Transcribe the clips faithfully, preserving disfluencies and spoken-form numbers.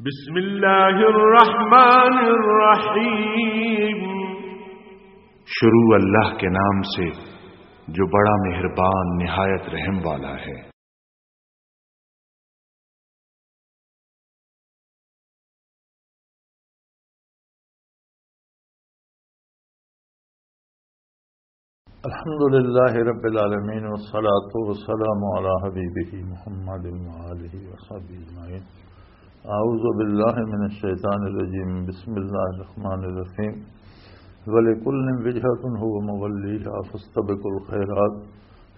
بسم اللہ الرحمن الرحیم۔ شروع اللہ کے نام سے جو بڑا مہربان نہایت رحم والا ہے۔ الحمد لله رب العالمين، والصلاة والسلام على حبيبه محمد وآله وصحبه أجمعين. أعوذ بالله من الشيطان الرجيم. بسم الله الرحمن الرحيم. ولكل وجهة هو موليها فاستبقوا الخيرات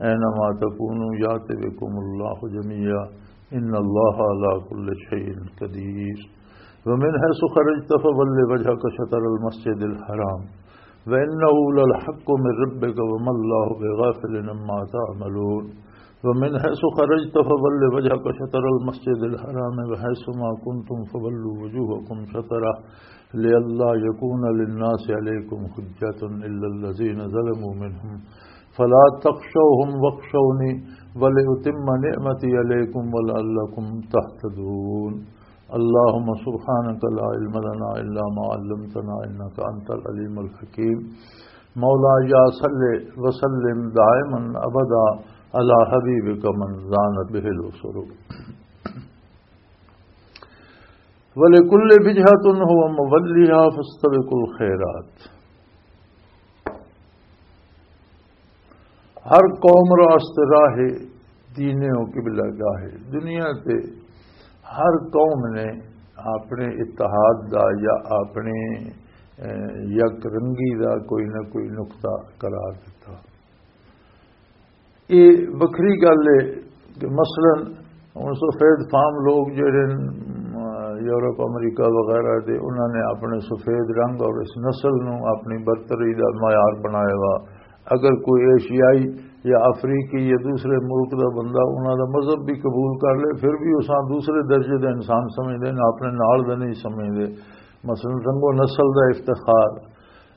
أينما تكونوا يأت بكم الله جميعا إن الله على كل شيء قدير. ومن حيث خرجت فول وجهك شطر المسجد الحرام وإنه للحق من ربك وما الله بغافل عما تعملون. ومن حيث خرجت فول وجهك شطر المسجد الحرام وحيث ما كنتم فولوا وجوهكم شطره لئلا يكون للناس عليكم حجة إلا الذين ظلموا منهم فلا تخشوهم واخشوني ولأتم نعمتي عليكم ولعلكم تهتدون. اللهم سبحانك لا علم لنا إلا ما علمتنا إنك أنت العليم الحكيم. مولاي صل وسلم دائما أبدا على حبيبك من زانت به الأسر. ولكل وجهة هو موليها فاستبقوا الخيرات. ہر قوم راست راہ دین و قبلہ گاہ۔ دنیا تے ہر قوم نے اپنے اتحاد دا یا اپنے، اے، یک رنگی دا کوئی نہ کوئی نقطہ قرار دیتا۔ یہ وکری گل ہے کہ مثلاً ہن سفید فام لوگ جڑے نے، یورپ، امریکہ وغیرہ دے، انہاں نے اپنے سفید رنگ اور اس نسل نو اپنی برتری دا معیار بنایا وا۔ اگر کوئی ایشیائی یا افریقی یا دوسرے ملک دا بندہ انہاں دا مذہب بھی قبول کر لے، پھر بھی اساں دوسرے درجے دے انسان سمجھدے نے، اپنے نال دے نہیں سمجھدے۔ مثلاً رنگ و نسل دا افتخار،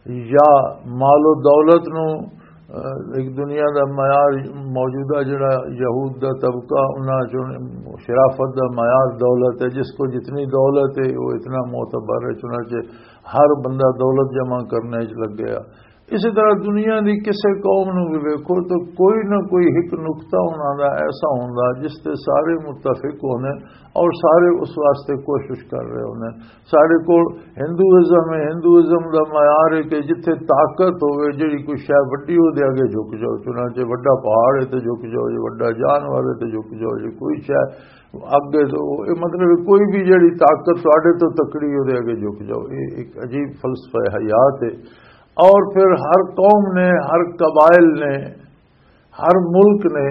یا مال و دولت نو، اہ، ایک دنیا دا معیار، موجودہ جڑا یہود دا طبقہ، انہاں چوں شرافت دا معیار دولت ہے، جس کو جتنی دولت ہے وہ اتنا معتبر ہے، چنانچہ ہر بندہ دولت جمع کرنے وچ لگ گیا۔ اسی طرح دنیا دی کسے قوم نو بھی ویکھو تو کوئی نہ کوئی ایک نقطہ انہاں دا ایسا ہوندا جس تے سارے متفق ہوندے اور سارے اس واسطے کوشش کر رہے ہوندے۔ ساڈے کول ہندوازم ہے، ہندوازم دا معیار ہے کہ جتھے طاقت ہوے، جڑی کوئی شے وڈی، او دے اگے جھک جاؤ۔ چنانچہ وڈا پہاڑ ہے تے جھک جاؤ جی، وڈا جانور ہے تے جھک جاؤ جی، کوئی شے اگے تو، اے مطلب ہے کوئی بھی جڑی طاقت تواڈے تو تکڑی، او دے اگے جھک جاؤ۔ اے ایک عجیب فلسفہ حیات ہے۔ اور پھر ہر قوم نے، ہر قبائل نے، ہر ملک نے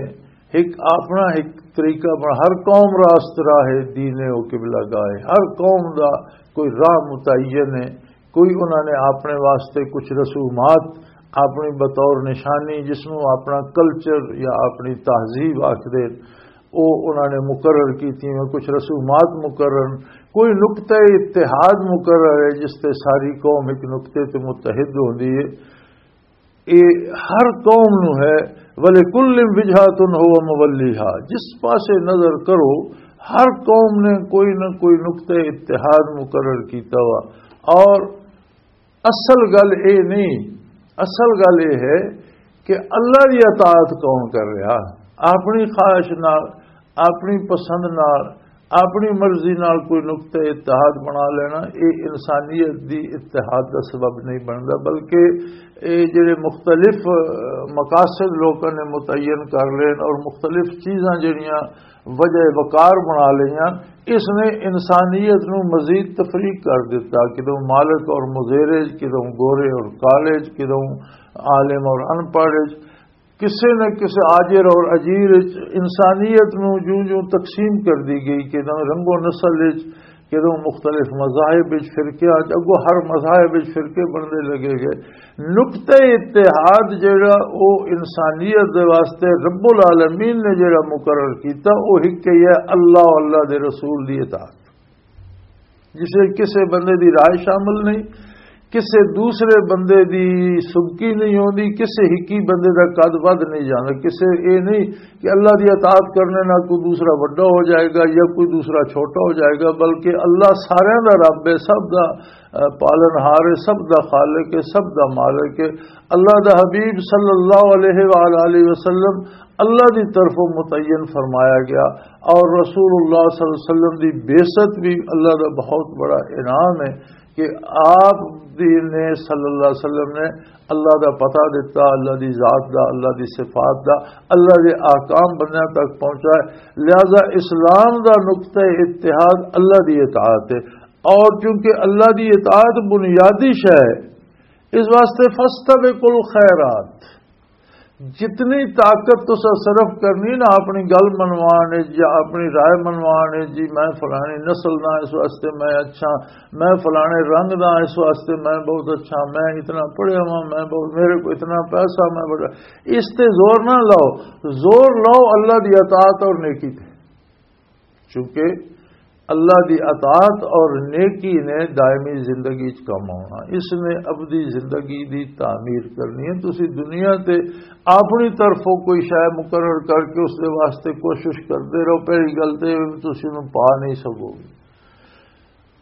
ایک اپنا ایک طریقہ بنا، ہر قوم راست راہ ہے، دین ہے، وہ قبلہ گاہ ہے، ہر قوم دا کوئی راہ متعین ہے، کوئی انہاں نے اپنے واسطے کچھ رسومات اپنی بطور نشانی، جس نوں اپنا کلچر یا اپنی تہذیب آکھ دے، او انہاں نے مقرر کیتی ہیں، کچھ رسومات مقرر، کوئی نقطہ اتحاد مقرر ہے جس تے ساری قوم ایک نقطے تے متحد ہوندی ہے۔ اے ہر قوم نو ہے، وَلِكُلٍّ وِجْهَةٌ هُوَ مُوَلِّيهَا۔ جس پاسے نظر کرو، ہر قوم نے کوئی نہ کوئی نقطہ اتحاد مقرر کیتا ہوا۔ اور اصل گل اے نہیں، اصل گل اے ہے کہ اللہ دی اطاعت کون کر رہا؟ اپنی خواہش نال، اپنی پسند نال، اپنی مرضی نال کوئی نقطہ اتحاد بنا لینا، اے انسانیت دی اتحاد دا سبب نہیں بندا، بلکہ اے جڑے مختلف، اہ، مقاصد لوکاں نے متعین کر لین اور مختلف چیزاں جڑیاں وجہ وقار بنا لیاں، اس نے انسانیت نو مزید تفریق کر دیتا۔ کدوں مالک اور مزیرج، کدوں گورے اور کالج، کدوں عالم اور ان پڑھ، کسے نہ کسے آجر اور اجیر وچ انسانیت نو جوں جوں تقسیم کر دی گئی، کدوں رنگ و نسل وچ، کدوں مختلف مذاہب وچ، فرقیاں وچ، اگوں ہر مذاہب وچ فرقے بننے لگے گئے۔ نقطہ اتحاد جڑا او انسانیت دے واسطے رب العالمین نے جڑا مقرر کیتا، او ہک ہی ہے، اللہ و اللہ دے رسول دی اطاعت۔ جسے کسے بندے دی رائے شامل نہیں، کسے دوسرے بندے دی سبکی نہیں ہوندی، کسے ہکی بندے دا قد ودھ نہیں جاندا۔ کسے اے نہیں کہ اللہ دی اطاعت کرنے نال کوئی دوسرا وڈا ہو جائے گا یا کوئی دوسرا چھوٹا ہو جائے گا، بلکہ اللہ سارے دا رب ہے، سب دا، اہ، پالن ہار ہے، سب دا خالق ہے، سب دا مالک ہے۔ اللہ دا حبیب صلی اللہ علیہ وآلہ وسلم اللہ دی طرفوں متعین فرمایا گیا، اور رسول اللہ صلی اللہ علیہ وسلم دی بعثت بھی اللہ دا بہت بڑا انعام ہے کہ آپ دی نے، صلی اللہ علیہ وسلم نے اللہ دا پتہ دتا، اللہ دی ذات دا، اللہ دی صفات دا، اللہ دے احکام بندیاں تک پہنچا ہے۔ لہذا اسلام دا نقطہ اتحاد اللہ دی اطاعت ہے، اور چونکہ اللہ دی اطاعت بنیادی شے ہے، اس واسطے فاستبقوا الخیرات، جتنی طاقت تسا صرف کرنی نا اپنی گل منوان وچ یا اپنی رائے منوان وچ، جی میں فلانی نسل دا اس واسطے میں اچھا، میں فلانے رنگ دا اس واسطے میں بہت اچھا، میں اتنا پڑھیا ہوا، میں بہت، میرے کو اتنا پیسہ، میں بڑا، اس تے زور نہ لاؤ۔ زور لاؤ اللہ دی اطاعت اور نیکی تے، چونکہ اللہ دی اطاعت اور نیکی نے دائمی زندگی چ کم آنا، اس نے ابدی زندگی دی تعمیر کرنی ہے۔ تسی دنیا تے اپنی طرفوں کوئی شے مقرر کر کے اس دے واسطے کوشش کردے رہو، پہلی گل تے تسی نوں پا نہیں سکو گے۔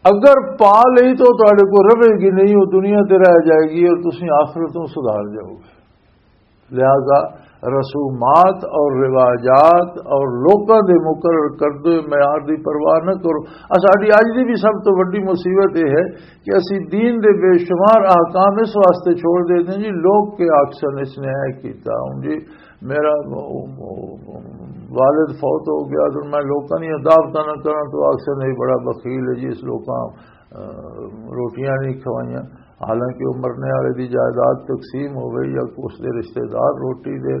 اگر پا لئی تو تہاڈے کو رہے گی نہیں، وہ دنیا تے رہ جائے گی اور تسی آخرتوں سدھار جاؤ گے۔ لہذا رسومات اور رواجات اور لوکاں دے مقرر کردے ہوئے معیار دی پرواہ نہ کرو۔ آ ساڈی اج دی بھی سب تو وڈی مصیبت یہ ہے کہ اسی دین دے بے شمار احکام اس واسطے چھوڑ دیتے ہیں جی، لوگ کے آکھسن اس نے اے کیتا، ہن جی میرا والد فوت ہو گیا تو میں لوکاں دی دعوتاں نہ کراں تو آکھسن نہیں، بڑا بخیل ہے جی، اس لوکاں روٹیاں نہیں کھوائیاں، حالانکہ وہ مرنے والے دی جائیداد تقسیم ہوئے یا اس دے رشتہ دار روٹی دے،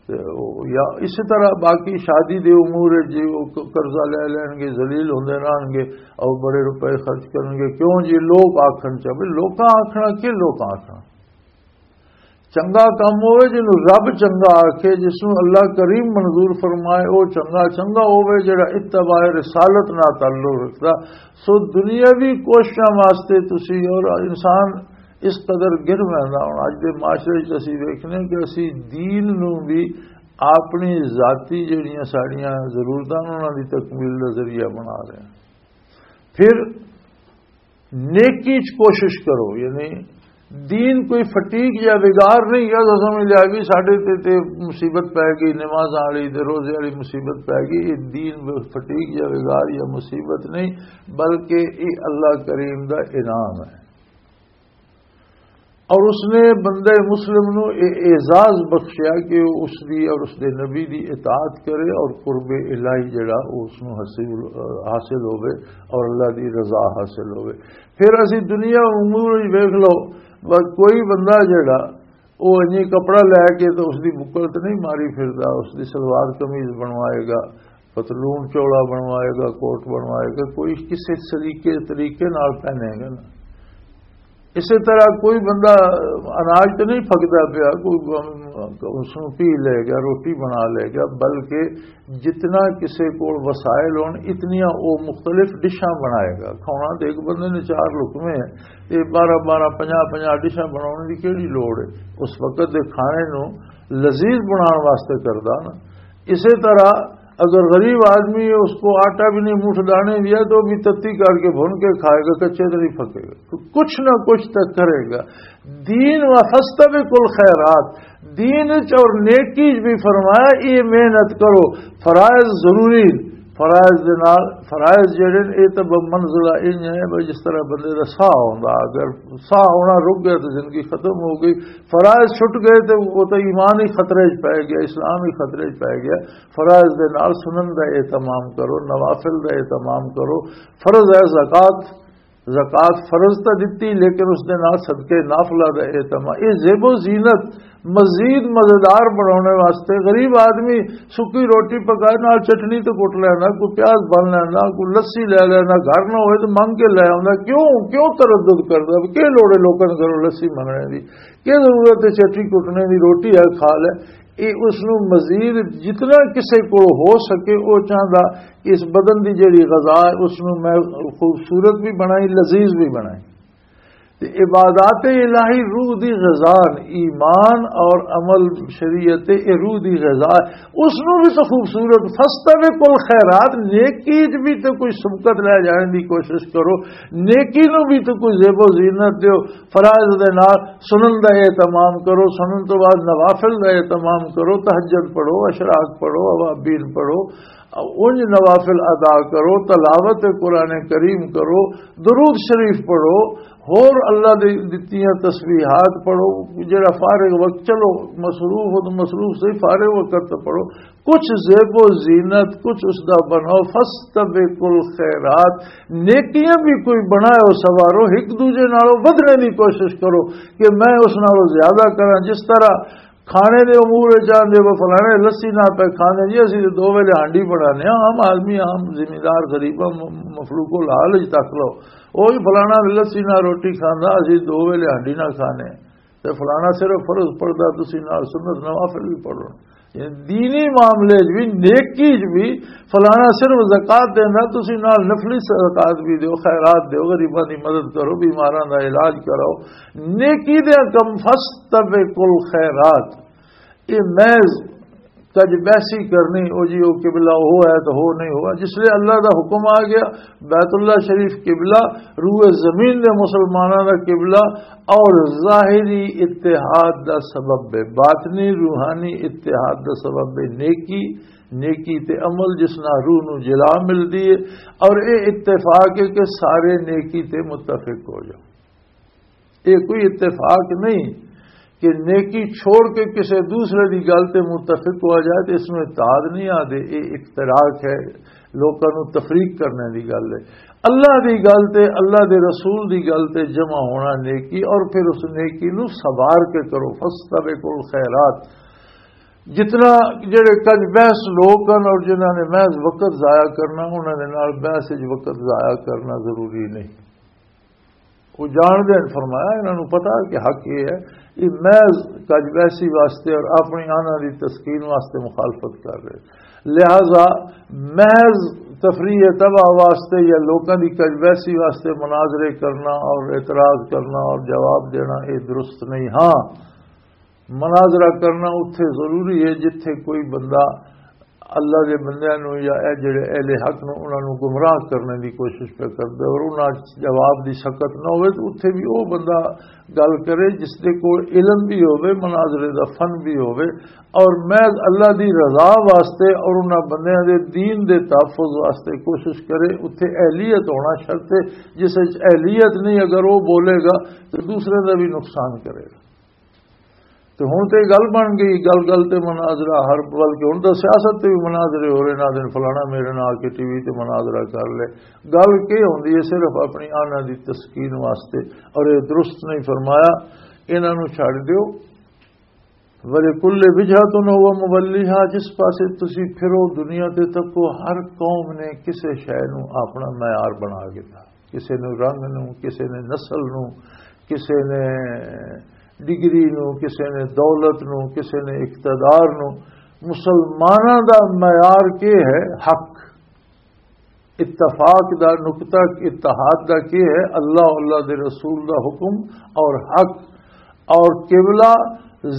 تے او، یا اسی طرح باقی شادی دے امور وچ جی وہ ق-، قرضہ لے لین گے، ذلیل ہوندے رہن گے، اور بڑے روپے خرچ کرن گے۔ کیوں جی؟ لوگ آکھن چاہے، لوکاں آکھنا کی؟ لوکاں آکھنا چنگا کم ہوئے، جنوں رب چنگا آکھے، جس نوں اللہ کریم منظور فرمائے، او چنگا، چنگا ہوئے جڑا اتباع رسالت نال تعلق رکھدا۔ سو دنیاوی کوششاں واسطے تسی اور انسان اس قدر گر ویندا۔ ہن اج دے معاشرے وچ اسی ویکھنے کہ اسی دین نوں بھی اپنی ذاتی جڑیاں ساڈیاں ضرورتاں انہاں دی تکمیل دا ذریعہ بنا رہے ہیں۔ پھر نیکی چ کوشش کرو، یعنی دین کوئی فٹیک یا وگار نہیں کہ اساں سمجھ لیا بھی ساڈے تے، تے مصیبت پے گئی، نمازاں والی تے روزے والی مصیبت پے گئی۔ یہ دین فٹیک یا وگار یا مصیبت نہیں، بلکہ یہ اللہ کریم دا انعام ہے۔ اور اس نے بندہ مسلم نو یہ اعزاز بخشیا کہ وہ اس دی اور اس دے نبی دی اطاعت کرے اور قرب الہی جڑا وہ اس نو حاصل، حاصل ہوے اور اللہ دی رضا حاصل ہوے۔ پھر اسی دنیا امور وچ ویکھ لو، بس کوئی بندہ جڑا وہ انجی کپڑا لے کے تو اس دی بکل تے نہیں ماری پھردا، اس دی سلوار قمیض بنوائے گا، پتلون چوڑا بنوائے گا، کوٹ بنوائے گا، کوئی کسی سلیقے طریقے نال پہنے گا نا۔ اسی طرح کوئی بندہ اناج تو نہیں پھکدا پیا، کوئی اس نوں پی لے گا، روٹی بنا لے گا، بلکہ جتنا کسے کول وسائل ہون، اتنیاں او مختلف ڈشاں بنائے گا۔ کھانا تے ایک بندے نے چار لقمے ہیں، تے بارہ بارہ، پنجاہ پنجاہ ڈشاں بناون دی کیڑی لوڑ ہے؟ اس وقت دے کھانے نوں لذیذ بنان واسطے کردا نا۔ اسی طرح اگر غریب آدمی ہے، اس کو آٹا بھی نہیں، منہ دانے بھی ہے، تو بھی تتی کر کے بھن کے کھائے گا، کچے تو نہیں پھکے گا۔ تو کچھ نہ کچھ تو کرے گا۔ دین و فاستبقوا الخیرات، دین وچ اور نیکی وچ بھی فرمایا، یہ محنت کرو، فرائض ضروری، فرائض دے نال، فرائض جڑے نے، یہ تو ب-، منزلہ انج ہے بھئی، جس طرح بندے دا ساہ ہوندا، اگر ساہ ہونا رک گیا تو زندگی ختم ہو گئی، فرائض چھٹ گئے تو وہ تو ایمان ہی خطرے وچ پے گیا، اسلام ہی خطرے وچ پے گیا۔ فرائض دے نال سنن دا اہتمام کرو، نوافل دا اہتمام کرو، فرض ہے زکوٰۃ، زکوٰۃ فرض تاں دتی، لیکن اس دے نال صدقے نافلہ دا اہتمام۔ یہ زیب و زینت مزید مزیدار بنانے واسطے غریب آدمی سکی روٹی پکائے، نال چٹنی تے کٹ لینا، کوئی پیاز بن لینا، کوئی لسی لے لینا، گھر نہ ہوئے تو منگ کے لے آوندا۔ کیوں، کیوں تردد کردا؟ کہ لوڑے لوکاں دے گھروں لسی منگنے دی؟ کہ ضرورت ہے چٹنی کٹنے دی؟ روٹی ہے، کھا لے۔ یہ اس نو مزید جتنا کسے کو ہو سکے، وہ چاہندا کہ اس بدن دی جڑی غذا ہے، اس نو میں خوبصورت بھی بنائی، لذیذ بھی بنائی۔ تے عبادات الہی روح دی غذا، ایمان اور عمل شریعت، اے روح دی غذا۔ اس نو بھی تو خوبصورت، فاستبقوا الخیرات، نیکی وچ بھی تو کوئی سبقت لے جانے دی کوشش کرو، نیکی نو بھی تو کوئی زیب و زینت دیو، فرائض دے نال سنن دا اہتمام کرو، سنن تو بعد نوافل دا اہتمام کرو، تہجد پڑھو، اشراق پڑھو، اوابین پڑھو، اونج نوافل ادا کرو، تلاوت قرآن کریم کرو، درود شریف پڑھو، ہور اللہ دی دتیاں تسبیحات پڑھو۔ جڑا فارغ وقت، چلو، مصروف ہو تو مصروف صحیح، فارغ وقت تے پڑھو۔ کچھ زیب و زینت، کچھ اس دا بناؤ، فاستبقوا الخیرات، نیکیاں بھی کوئی بناؤ، سوارو، ایک دوجے نالوں ودھنے دی کوشش کرو کہ میں اس نالوں زیادہ کراں۔ جس طرح کھانے دے امور وچ آندے، وہ فلانے لسی نہ پہ کھانے جی، اسی تے دو ویلے ہانڈی بنانے ہاں، عام آدمی، عام زمیندار، غریباں، م-، مخلوق الحال وچ تک لو، وہ بھی فلانا لسی نہ روٹی کھاندا، اسی دو ویلے ہانڈی نہ کھانے، تے فلانا صرف فرض پڑھدا، تسی نال سنت نوافل بھی پڑھو۔ یعنی دینی معاملے وچ بھی، نیکی وچ بھی، فلانا صرف زکوٰۃ دیندا، تسی نال نفلی زکوٰۃ بھی دیو، خیرات دیو، غریباں دی مدد کرو، بیماراں دا علاج کراؤ، نیکی دے کم۔ فاستبقوا الخیرات، یہ محض کج بحثی کرنی، او جی او قبلہ ہو ہے تو ہو نہیں ہوا۔ جس لئے اللہ دا حکم آ گیا، بیت اللہ شریف قبلہ، روئے زمین دے مسلماناں دا قبلہ، اور ظاہری اتحاد دا سبب ہے، باطنی روحانی اتحاد دا سبب ہے نیکی، نیکی تے عمل جس نال روح نو جلا ملدی ہے، اور اے اتفاق ہے کہ سارے نیکی تے متفق ہو جاؤ۔ یہ کوئی اتفاق نہیں کہ نیکی چھوڑ کے کسی دوسرے دی گل تے متفق ہوا جائے تو اس میں اتحاد نہیں آدے، یہ اختراق ہے، لوکاں نو تفریق کرنے دی گل ہے۔ اللہ دی گل تے، اللہ دے رسول دی گل تے جمع ہونا نیکی، اور پھر اس نیکی نو سوار کے کرو۔ فاستبقوا الخیرات۔ جتنا جڑے کج بحث لوگ ہیں اور جنہاں نے محض وقت ضائع کرنا، انہاں دے نال بحث وچ وقت ضائع کرنا ضروری نہیں۔ وہ جان دین، فرمایا، انہاں نوں پتا کہ حق یہ ہے، یہ محض کج ویسی واسطے اور اپنی آنا دی تسکین واسطے مخالفت کر رہے۔ لہذا محض تفریح طبع واسطے یا لوکاں دی کج ویسی واسطے مناظرے کرنا اور اعتراض کرنا اور جواب دینا، یہ درست نہیں۔ ہاں، مناظرہ کرنا اتھے ضروری ہے جتھے کوئی بندہ اللہ دے بندیاں نوں یا اے جڑے اہل حق نوں، انہاں نوں گمراہ کرنے دی کوشش پہ کردا اور انہاں جواب دی سکت نہ ہوئے، تو اتھے بھی او بندہ گل کرے جس دے کول علم بھی ہوئے، مناظرے دا فن بھی ہوئے، اور محض اللہ دی رضا واسطے اور انہاں بندیاں دے دین دے تحفظ واسطے کوشش کرے۔ اتھے اہلیت ہونا شرط ہے، جس وچ اہلیت نہیں، اگر وہ بولے گا تو دوسرے دا بھی نقصان کرے گا۔ تے ہن تے گل بن گئی، گل گل تے مناظرہ، ہر، بلکہ ہن تاں سیاست تے بھی مناظرے ہو رہے، نہ دن فلانا میرے نال آ کے ٹی وی تے مناظرہ کر لے۔ گل کی ہوندی ہے؟ صرف اپنی آنا دی تسکین واسطے، اور یہ درست نہیں فرمایا۔ انہاں نوں چھڈ دیو۔ وَلِكُلِّ وِجْهَةٌ هُوَ مُوَلِّيهَا، جس پاسے تسی پھرو دنیا تے تکو، ہر قوم نے کسے شے نوں اپنا معیار بنا گیا۔ کسے نوں رنگ نوں، کسے نے نسل نوں، کسے نے ڈگری نوں، کسے نے دولت نوں، کسے نے اقتدار نوں۔ مسلماناں دا معیار کی ہے؟ حق۔ اتفاق دا نقطہ، اتحاد دا کی ہے؟ اللہ، اللہ دے رسول دا حکم اور حق اور قبلہ۔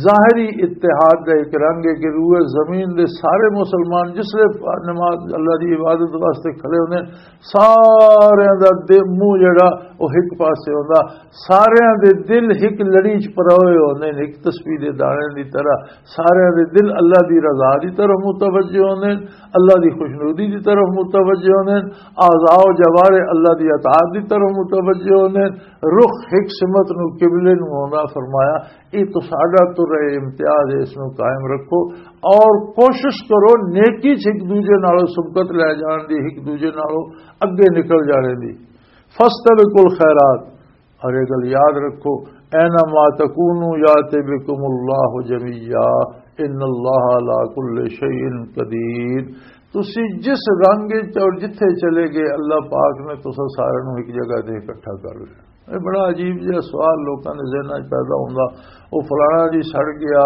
ظاہری اتحاد دا ایک رنگ ہے کہ روئے زمین دے سارے مسلمان جس لے نماز، اللہ دی عبادت واسطے کھڑے ہوندے، سارے دا دل، منہ جڑا، وہ ایک پاسے ہوندا، سارے دے دل ایک لڑی چ پروئے ہوندے نے، ایک تسبیح دے دانے دی طرح۔ سارے دے دل اللہ دی رضا دی طرف متوجہ ہوندے نے، اللہ دی خوشنودی دی طرف متوجہ ہوندے نے، اعضاء و جوارح اللہ دی اطاعت دی طرف متوجہ ہوندے نے، رخ ایک سمت نو، قبلے نو ہوندا۔ فرمایا، یہ تو ساڈا تو رہے امتیاز ہے، اس نو قائم رکھو اور کوشش کرو نیکی چ ایک دوجے نالوں سبقت لے جان دی، ایک دوجے نالوں اگے نکل جانے دی۔ فاستبقوا الخیرات، اور یہ گل یاد رکھو، اینما تکونوا یات بکم اللہ جمیعا، ان اللہ علی کل شیء قدیر۔ تسی جس رنگ وچ اور جتھے چلے گئے، اللہ پاک نے تساں سارے نوں ایک جگہ تے اکٹھا کر لیا۔ یہ بڑا عجیب جہا سوال لوکاں دے ذہناں وچ پیدا ہوندا، او فلانا جی سڑ گیا،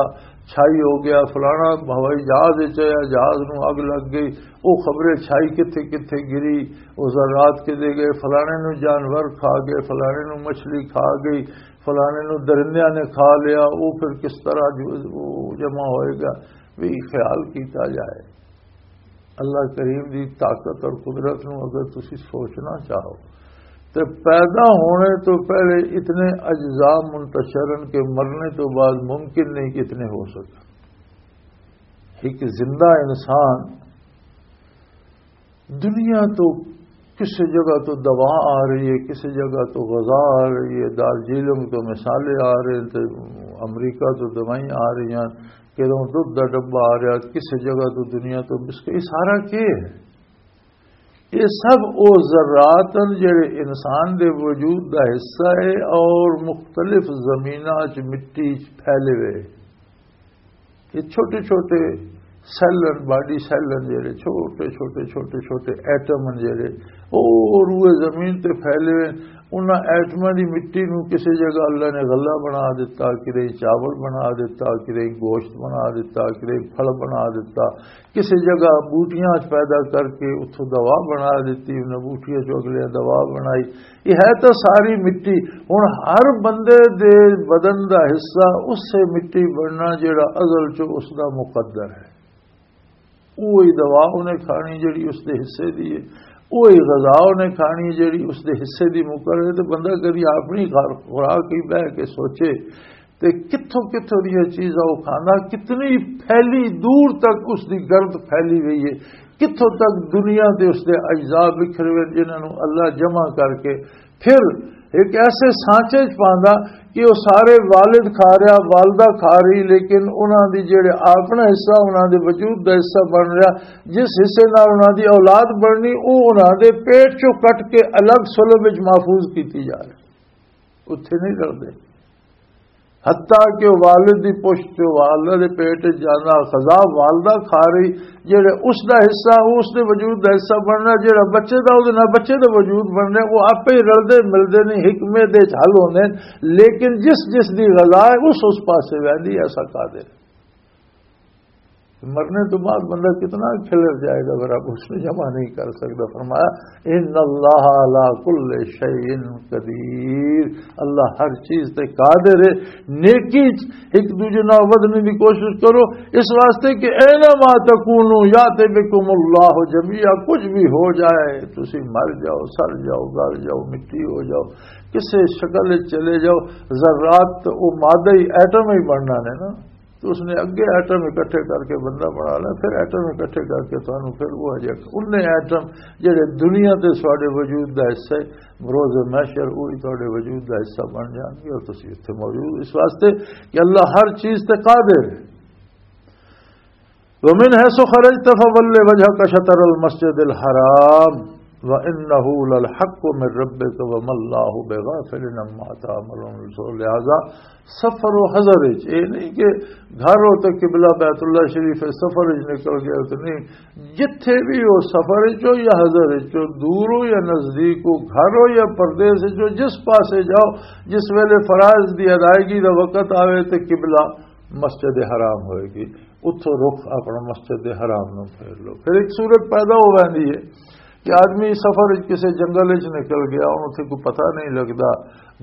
چھائی ہو گیا، فلانا ہوائی جہاز وچ آیا، جہاز نو اگ لگ گئی، او خبریں چھائی کتھے کتھے گری، او ذرات کدے گئے، فلانے نو جانور کھا گئے، فلانے نو مچھلی کھا گئی، فلانے نو درندیاں نے کھا لیا، او پھر کس طرح جو، او جمع ہوئے گا، بھی خیال کیتا جائے۔ اللہ کریم دی طاقت اور قدرت نو اگر تسی سوچنا چاہو، تے پیدا ہونے تو پہلے اتنے اجزاء منتشر ہیں کہ مرنے تو بعد ممکن نہیں کہ اتنے ہو سکے۔ ایک زندہ انسان دنیا تو کسی جگہ تو دوا آ رہی ہے، کسی جگہ تو غذا آ رہی ہے، دارجیلنگ تو مسالے آ رہے ہیں، تے امریکہ تو دوائیں آ رہی ہیں، کدوں دودھ دا ڈبہ آ رہا، کسی جگہ تو دنیا تو بسکٹ، یہ سارا کی ہے؟ یہ سب او ذرات ہیں جڑے انسان دے وجود دا حصہ ہے اور مختلف زمیناں چ مٹی چ پھیلے ہوئے۔ یہ چھوٹے چھوٹے سیل ہیں، باڈی سیل ہیں جڑے، چھوٹے چھوٹے چھوٹے چھوٹے ایٹم ہیں جڑے، او روئے زمین تے پھیلے ہوئے۔ انہاں ایٹماں دی مٹی نوں کسی جگہ اللہ نے غلہ بنا دیتا، کدے چاول بنا دیتا، کدے گوشت بنا دیتا، کدے پھل بنا دیتا، کسی جگہ بوٹیاں پیدا کر کے اتھوں دوا بنا دیتی، انہاں بوٹیاں چوں اگلیاں دوا بنائی۔ یہ ہے تو ساری مٹی۔ ہن ہر بندے دے بدن دا حصہ اسے مٹی بننا جڑا ازل چوں اس دا مقدر ہے۔ وہی دوا انہیں کھانی جڑی اس دے حصے دی ہے، وہی غذا انہیں کھانی جڑی اس دے حصے دی مقرر ہے۔ تو بندہ کدی اپنی خور-، خوراک ہی بہ کے سوچے تے کتھوں کتھوں دیاں چیزاں وہ کھانا، کتنی پھیلی دور تک اس دی گرد پھیلی ہوئی ہے، کتھوں تک دنیا دے اس دے اجزاء بکھرے ہوئے جنہاں نوں اللہ جمع کر کے پھر ایک ایسے سانچے چ پاندا کہ وہ سارے والد کھا رہا، والدہ کھا رہی، لیکن انہاں دی جڑے اپنا حصہ، انہاں دے وجود دا حصہ بن رہا، جس حصے نال انہاں دی اولاد بننی، وہ انہاں دے پیٹ چوں کٹ کے الگ سلب وچ محفوظ کیتی جا رہی، اتھے نہیں رلدے۔ حتیٰ کہ وہ والد دی پشت چوں والدہ دے پیٹ وچ جانا، خزا والدہ کھا رہی، جڑے اس دا حصہ، وہ اس دے وجود دا حصہ بننا، جڑا بچے دا، وہ نہ بچے دا وجود بننا، وہ آپے ہی رلدے ملدے نہیں، حکمے دے وچ حل ہوندے نے، لیکن جس جس دی غذا ہے، اس اس پاسے ویندی ہے، ایسا قادر۔ مرنے تو بعد بندہ کتنا کھلر جائے گا، اگر آپ اس میں جمع نہیں کر سکتا۔ فرمایا، ان اللہ علی کل شیء قدیر، اللہ ہر چیز تے قادر ہے۔ نیکی چ ایک دوجے نال ودھنے دی کوشش کرو، اس واسطے کہ اینما تکونو یات بکم اللہ جمیعا، کچھ بھی ہو جائے، تسی مر جاؤ، سڑ جاؤ، گل جاؤ، مٹی ہو جاؤ، کسے شکل وچ چلے جاؤ، ذرات تے او مادہ ہی، ایٹم ہی بننا نے نا۔ تو اس نے اگے ایٹم اکٹھے کر کے بندہ بنا لیا، پھر ایٹم اکٹھے کر کے تانوں پھر وہ جا، انہیں ایٹم جڑے دنیا تے ساڈے وجود دا حصہ ہے، روز محشر وہی تہاڈے وجود دا حصہ بن جان گے اور تسی اتھے موجود۔ اس واسطے کہ اللہ ہر چیز تے قادر ہے۔ ومن حيث خرجت فول وجهك شطر المسجد الحرام وإنه للحق من ربك وما الله بغافل عما تعملون۔ سو لہذا سفر و حضر وچ، اے نہیں کہ گھر ہو تے قبلہ بیت اللہ شریف ہے، سفر وچ نکل گیا تو نہیں، جتھے بھی ہو، سفر وچ ہو یا حضر وچ ہو، دور ہو یا نزدیک ہو، گھر ہو یا پردیس وچ ہو، جس پاسے جاؤ، جس ویلے فرائض دی ادائیگی دا وقت آوے تے قبلہ مسجد حرام ہوئے گی، اتھوں رخ اپنا مسجد حرام نو پھیر لو۔ پھر ایک صورت پیدا ہو ویندی ہے کہ آدمی سفر وچ کسے جنگل وچ نکل گیا، ہن اتھے کوئی پتہ نہیں لگدا،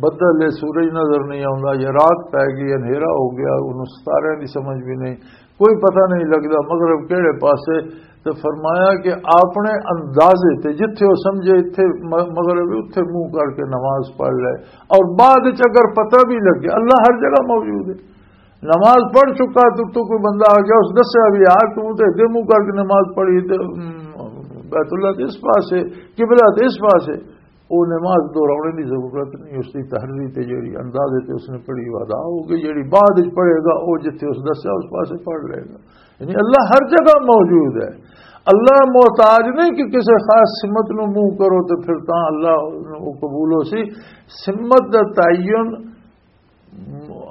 بدل ہے، سورج نظر نہیں آوندا، یا رات پے گئی، اندھیرا ہو گیا، انہوں ستارے دی سمجھ بھی نہیں، کوئی پتہ نہیں لگدا مغرب کہڑے پاسے۔ تو فرمایا کہ اپنے اندازے تے جتھے وہ سمجھے اتھے م-، مغرب ہے، اتھے منہ کر کے نماز پڑھ لے، اور بعد وچ اگر پتہ بھی لگے، اللہ ہر جگہ موجود ہے۔ نماز پڑھ چکا تو، تو کوئی بندہ آ گیا، اس دسیا بھی، "یار، تو تے ادھر منہ کر کے نماز پڑھی تے، ام، بیت اللہ تے اس پاسے، قبلہ تے اس پاسے۔" وہ نماز دہرانے دی ضرورت نہیں، اس دی تحریر تے جڑی اندازے تے اس نے پڑھی، وہ ادا ہو گئی۔ جڑی بعد وچ پڑھے گا، وہ جتھے اس دسیا، اس پاسے پڑھ لے گا۔ یعنی اللہ ہر جگہ موجود ہے۔ اللہ محتاج نہیں کہ کسی خاص سمت نو منہ کرو تو پھر تاں اللہ نو قبول ہو سی۔ سمت دا تعین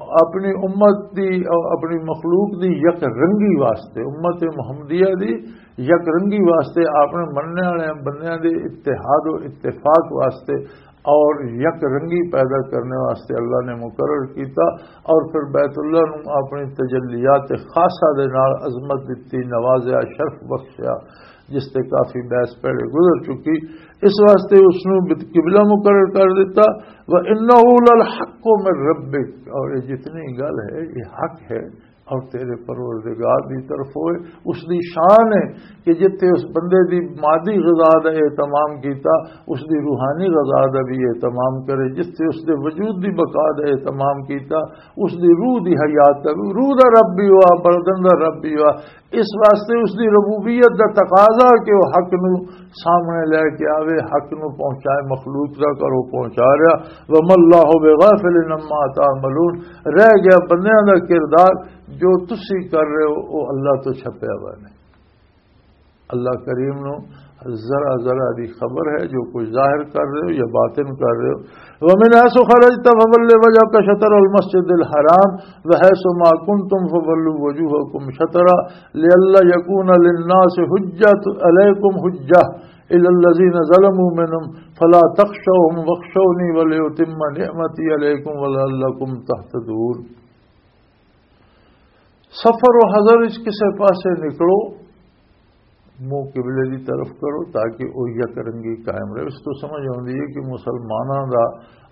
اپنی امت دی، اپنی مخلوق دی یک رنگی واسطے، امت محمدیہ دی یک رنگی واسطے، اپنے مننے والے بندیاں دے اتحاد و اتفاق واسطے اور یک رنگی پیدا کرنے واسطے اللہ نے مقرر کیتا، اور پھر بیت اللہ نو اپنی تجلیات خاصہ دے نال عظمت دتی، نوازیا، شرف بخشیا، جس تے کافی بحث پہلے گزر چکی۔ اس واسطے اس نو بت-، قبلہ مقرر کر دیتا۔ وَإِنَّهُ لَلْحَقُّ مِنْ رَبِّكَ، اور یہ جتنی گل ہے، یہ حق ہے اور تیرے پروردگار دی طرف ہوئے۔ اس دی شان ہے کہ جتھے اس بندے دی مادی غذا دا اہتمام کیتا، اس دی روحانی غذا دا بھی اہتمام کرے، جتھے اس دے وجود دی بقا دا اہتمام کیتا، اس دی روح دی حیات دا بھی، روح دا رب بھی ہوا، بدن دا رب بھی ہوا۔ اس واسطے اس دی ربوبیت دا تقاضا کہ وہ حق نو سامنے لے کے آوے، حق نو پہنچائے، مخلوق دا کرو پہنچا رہا۔ وَمَا اللَّهُ بِغَافِلٍ عَمَّا تَعْمَلُونَ، رہ گیا بندیاں دا کردار، جو تسی کر رہے ہو، وہ اللہ تو چھپیا ہوا نہیں۔ اللہ کریم نو ذرا ذرا دی خبر ہے، جو کچھ ظاہر کر رہے ہو یا باطن کر رہے ہو۔ وَمِنْ حَيْثُ خَرَجْتَ فَوَلِّ وَجْهَكَ شَطْرَ الْمَسْجِدِ الْحَرَامِ وَحَيْثُ مَا كُنْتُمْ فَوَلُّوا وُجُوهَكُمْ شَطْرَهُ لِئَلَّا يَكُونَ لِلنَّاسِ حُجَّةٌ عَلَيْكُمْ حُجَّةٌ إِلَّا الَّذِينَ ظَلَمُوا مِنْهُمْ فَلَا تَخْشَوْهُمْ وَاخْشَوْنِي وَلِأُتِمَّ نِعْمَتِي عَلَيْكُمْ وَلَعَلَّكُمْ تَهْتَدُونَ۔ سفر و حضر وچ کسے پاسے نکلو، منہ قبلے دی طرف کرو تاکہ او یک رنگی قائم رہے۔ اس تو سمجھ آؤندی ہے کہ مسلماناں دا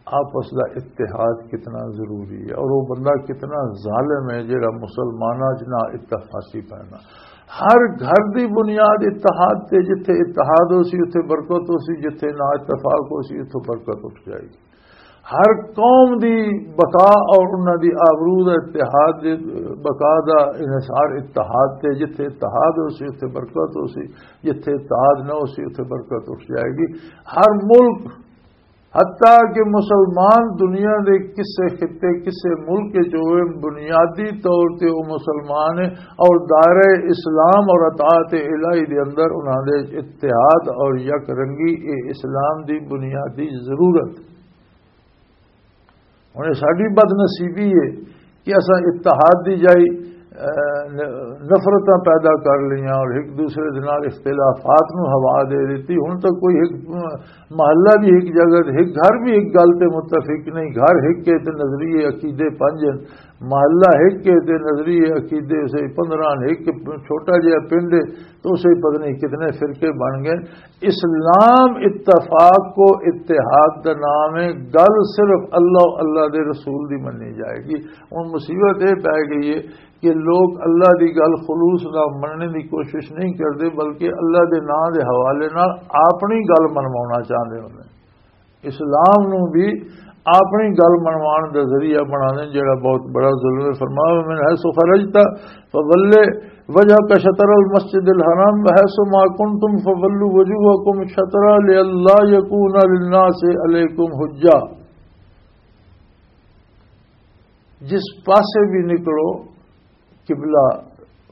آپس دا اتحاد کتنا ضروری ہے اور وہ بندہ کتنا ظالم ہے جڑا مسلماناں چ نہ اتفاقی پینا۔ ہر گھر دی بنیاد اتحاد تے، جتھے اتحاد ہو سی اتھے برکت ہو سی، جتھے نہ اتفاق ہو سی اتھوں برکت اٹھ جائے گی۔ ہر قوم دی بقا اور انہاں دی آبرو دا اتحاد دے، بقا دا انحصار اتحاد تے، جتھے اتحاد ہو سی اتھے برکت ہو سی، جتھے اتحاد نہ ہو سی اتھے برکت اٹھ جائے گی۔ ہر ملک، حتیٰ کہ مسلمان دنیا دے کسے خطے، کسے ملک جو ہوئے، بنیادی طور تے وہ مسلمان ہے اور دائرہ اسلام اور اطاعت الہی دے اندر انہاں دے اتحاد اور یک رنگی، اے اسلام دی بنیادی ضرورت۔ ہن اے ساڈی بد نصیبی ہے کہ اساں اتحاد دی جائی، اے، ن-، نفرتاں پیدا کر لیاں اور ایک دوسرے دے نال اختلافات نوں ہوا دے دتی۔ ہن تک کوئی ایک محلہ بھی ایک جگہ تے، ایک گھر بھی ایک گل تے متفق نہیں۔ گھر ایک کے تے نظریے عقیدے پنج ہیں، محلہ ایک کے تے نظریے عقیدے اسے پندرہ ہیں، ایک چھوٹا جہا پنڈ ہے تو اسے پتہ نہیں کتنے فرقے بن گئے۔ اسلام اتفاق کو اتحاد کا نام ہے۔ گل صرف اللہ، اللہ دے رسول دی منی جائے گی۔ ہن مصیبت یہ پی گئی ہے کہ لوگ اللہ دی گل خلوص نال مننے دی کوشش نہیں کردے، بلکہ اللہ دے نام دے حوالے نال اپنی گل منوانا چاہندے ہوندے۔ اسلام نو بھی اپنی گل منوان دا ذریعہ بنا دے، جڑا بہت بڑا ظلم ہے۔ فرمایا، "من حیث خرجت فول وجهك شطر المسجد الحرام وحیث ما کنتم فولوا وجوهکم شطرہ لئلا یکون للناس علیکم حجہ۔" جس پاسے بھی نکلو، قبلہ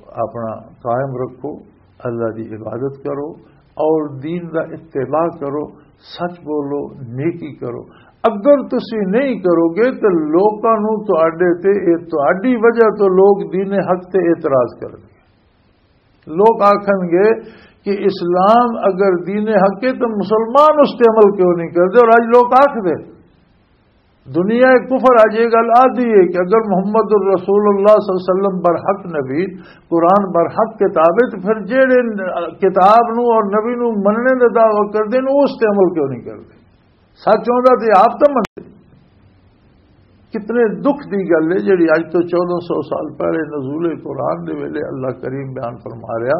اپنا قائم رکھو، اللہ دی عبادت کرو اور دین دا اتباع کرو، سچ بولو، نیکی کرو۔ اگر تسی نہیں کرو گے تو لوکاں نو تہاڈے تے، اے تہاڈی وجہ تو لوگ دین حق تے اعتراض کرن گے۔ لوگ آکھن گے کہ اسلام اگر دین حق ہے تو مسلمان اس تے عمل کیوں نہیں کرتے؟ اور اج لوگ آکھ دے، دنیا کفر اج یہ گل آدھی ہے کہ اگر محمد الرسول اللہ صلی اللہ علیہ وسلم برحق نبی، قرآن برحق کتاب ہے، تو پھر جہڑے کتاب نو اور نبی نو مننے دا دعویٰ کردے نے، اس تے عمل کیوں نہیں کردے؟ سچ ہوندا تے آپ تو منتے۔ کتنے دکھ دی گل ہے جڑی اج تو چودہ سو سال پہلے نزول قرآن دے ویلے اللہ کریم بیان فرما رہا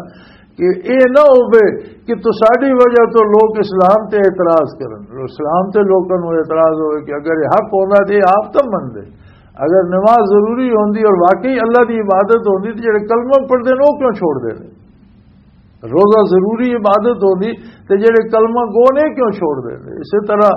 کہ اے نہ ہوے کہ تساڈی وجہ تو لوگ اسلام تے اعتراض کرن، اسلام تے لوکاں نوں اعتراض ہوئے کہ اگر یہ حق ہوندا تے یہ آپ تو منتے، اگر نماز ضروری ہوندی اور واقعی اللہ دی عبادت ہوندی تے جڑے کلمہ پڑھدے نے وہ کیوں چھوڑ دے نے؟ روزہ ضروری عبادت ہوندی تے جڑے کلمہ گو نے کیوں چھوڑ دے نے؟ اسی طرح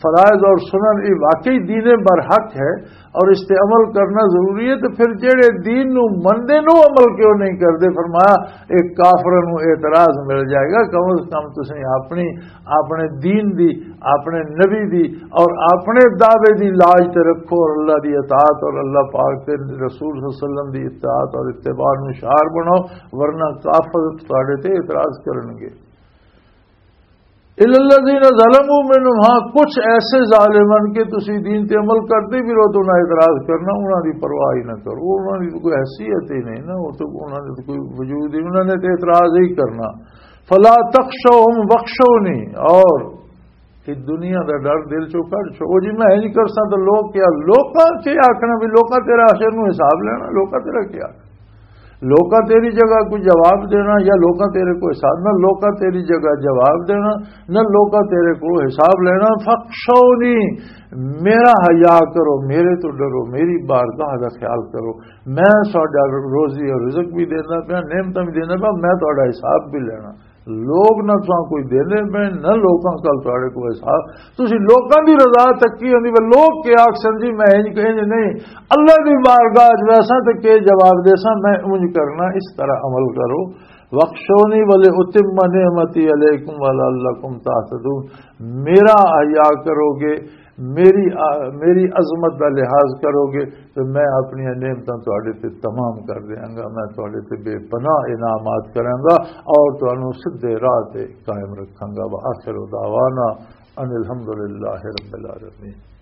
فرائض اور سنن یہ واقعی دین برحق ہے اور اس تے عمل کرنا ضروری ہے، تو پھر جڑے دین نو مندے نو عمل کیوں نہیں کردے؟ فرمایا، ایک کافر نو اعتراض مل جائے گا۔ کم از کم تسیں اپنی، اپنے دین دی، اپنے نبی دی اور اپنے دعوے دی لاج تے رکھو اور اللہ دی اطاعت اور اللہ پاک تے رسول صلی اللہ علیہ وسلم دی اطاعت اور اتباع نو شعار بناؤ، ورنہ کافر تواڈے تے اعتراض کرن گے۔ الا الذین ظلموا منهم، ہاں، کچھ ایسے ظالم ہیں کہ تسی دین تے عمل کردے بھی رہو تو انہاں اعتراض کرنا، انہاں دی پرواہ ہی نہ کرو، انہاں دی کوئی حیثیت ہی نہیں نا، وہ تو انہاں دے تو کوئی وجود ہی، انہاں نے تو اعتراض ہی کرنا۔ فلا تخشوهم واخشونی، اور کہ دنیا دا ڈر دل چوں کڈ چھو۔ او جی میں انج کرساں تے لوگ کیا، لوکاں کی آکھنا بھی لوکاں تیرا آخر نو حساب لینا، لوکاں تیرا کیا؟ لوکاں تیری جگہ کوئی جواب دینا یا لوکاں تیرے کوئی حساب، نہ لوکاں تیری جگہ جواب دینا، نہ لوکاں تیرے کو حساب لینا۔ فخشونی، میرا حیا کرو، میرے تو ڈرو، میری بارگاہ دا خیال کرو۔ میں ساڈا روزی اور رزق بھی دینا پیا، نعمتاں بھی دینا پیا، میں تہاڈا حساب بھی لینا۔ لوگ نہ تساں کوئی دیندے پے، نہ لوکاں کل تہاڈے کوئی حساب۔ تسی لوکاں دی رضا تکی ہوندی، پر لوگ کیا آکھسن جی میں انج کہ انج نہیں، اللہ دی بارگاہ وچ ویساں تے کی جواب دیساں، میں انج کرنا، اس طرح عمل کرو۔ وَاخْشَوْنِي وَلِأُتِمَّ نِعْمَتِي عَلَيْكُمْ وَلَعَلَّكُمْ تَهْتَدُونَ۔ میرا حیا کرو گے، میری میری عظمت دا لحاظ کرو گے تو میں اپنی نعمتاں تہاڈے تے تمام کر دیاں گا، میں تہاڈے تے بے پناہ انعامات کراں گا اور تانوں سدھے راہ تے قائم رکھاں گا۔ وآخر دعوانا ان الحمدللہ رب العالمین۔